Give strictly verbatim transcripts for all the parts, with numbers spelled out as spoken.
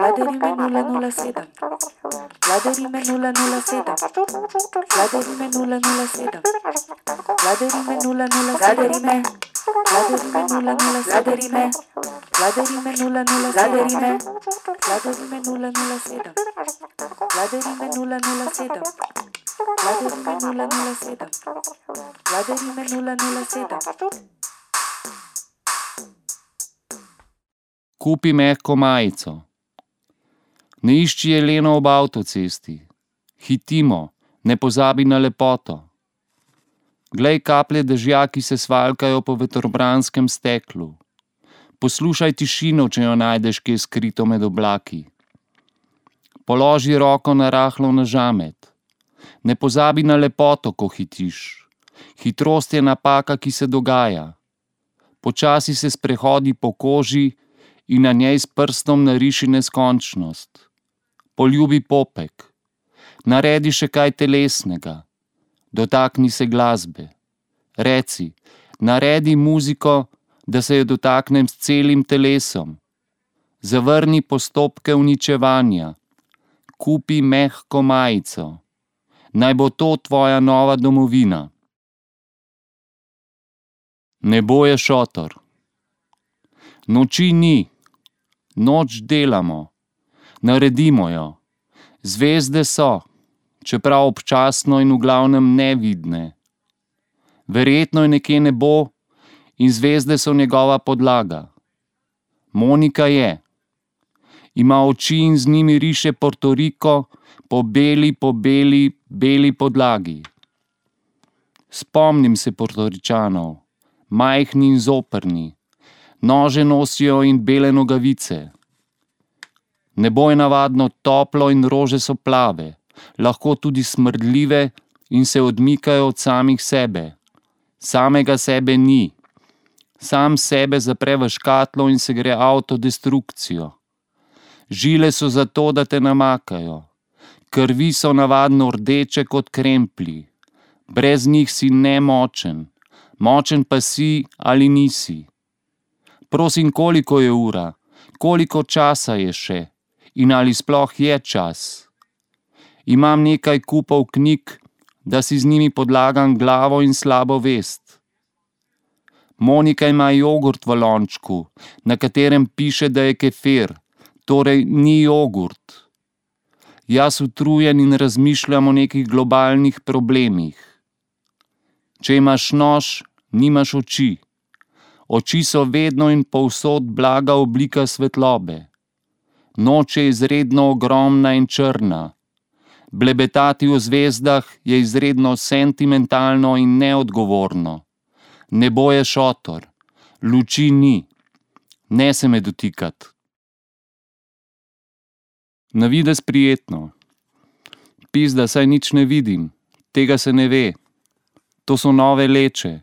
Vladarime nula nula sedem. Vladarime nula nula sedem. Vladarime nula nula sedem. Vladarime nula nula Vladarime. Vladarime nula nula Vladarime. Vladarime nula nula Vladarime. Vladarime nula nula sedem. Vladarime nula nula sedem. Vladarime nula nula sedem. Vladarime nula nula sedem. Kupi mehko majico. Ne išči jeleno ob avtocesti. Hitimo, ne pozabi na lepoto. Glej kaplje dežja, ki se svalkajo po vetrobranskem steklu. Poslušaj tišino, če jo najdeš kje skrito med oblaki. Položi roko na rahlo na žamet. Ne pozabi na lepoto, ko hitiš. Hitrost je napaka, ki se dogaja. Počasi se sprehodi po koži in na njej s prstom nariši neskončnost. Poljubi popek. Naredi še kaj telesnega. Dotakni se glasbe. Reci, naredi muziko, da se jo dotaknem s celim telesom. Zavrni postopke uničevanja. Kupi mehko majico. Naj bo to tvoja nova domovina. Nebo je šotor. Noči ni. Noč delamo. Naredimo jo. Zvezde so, čeprav občasno in v glavnem nevidne. Verjetno je nekje nebo in zvezde so njegova podlaga. Monika je. Ima oči in z njimi riše Porto Riko po beli, po beli, beli podlagi. Spomnim se Portoričanov, majhni in zoprni. Nože nosijo in bele nogavice. Nebo je navadno toplo in rože so plave, lahko tudi smrdljive in se odmikajo od samih sebe. Samega sebe ni. Sam sebe zapre v škatlo in se gre avtodestrukcijo. Žile so zato, da te namakajo. Krvi so navadno rdeče kot kremplji. Brez njih si nemočen. Močen pa si ali nisi. Prosim, koliko je ura? Koliko časa je še? In ali sploh je čas? Imam nekaj kupov knjig, da si z njimi podlagam glavo in slabo vest. Monika ima jogurt v lončku, na katerem piše, da je kefir, torej ni jogurt. Jaz utrujen in razmišljam o nekih globalnih problemih. Če imaš nož, nimaš oči. Oči so vedno in povsod blaga oblika svetlobe. Noč je izredno ogromna in črna. Blebetati o zvezdah je izredno sentimentalno in neodgovorno. Nebo je šotor. Luči ni. Ne se me dotikat. Navidez prijetno. Pizda, saj nič ne vidim. Tega se ne ve. To so nove leče.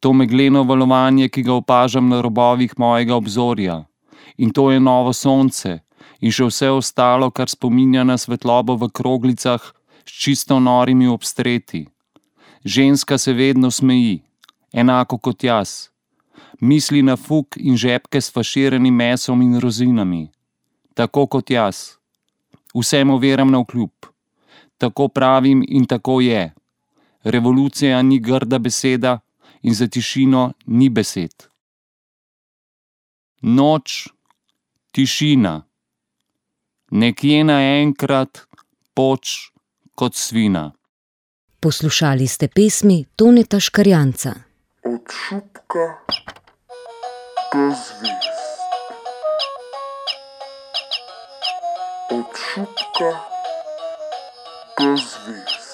To megleno valovanje, ki ga opažam na robovih mojega obzorja. In to je novo sonce. In še vse ostalo, kar spominja na svetlobo v kroglicah s čisto norimi obstreti. Ženska se vedno smeji, enako kot jaz. Misli na fuk in žepke s faširanim mesom in rozinami. Tako kot jaz. Vsemu veram navkljub. Tako pravim in tako je. Revolucija ni grda beseda in za tišino ni besed. Noč, tišina. Nekje naenkrat poč kot svina. Poslušali ste pesmi Toneta Škarjanca. Od šupka do zvezd. Od šupka do zvezd.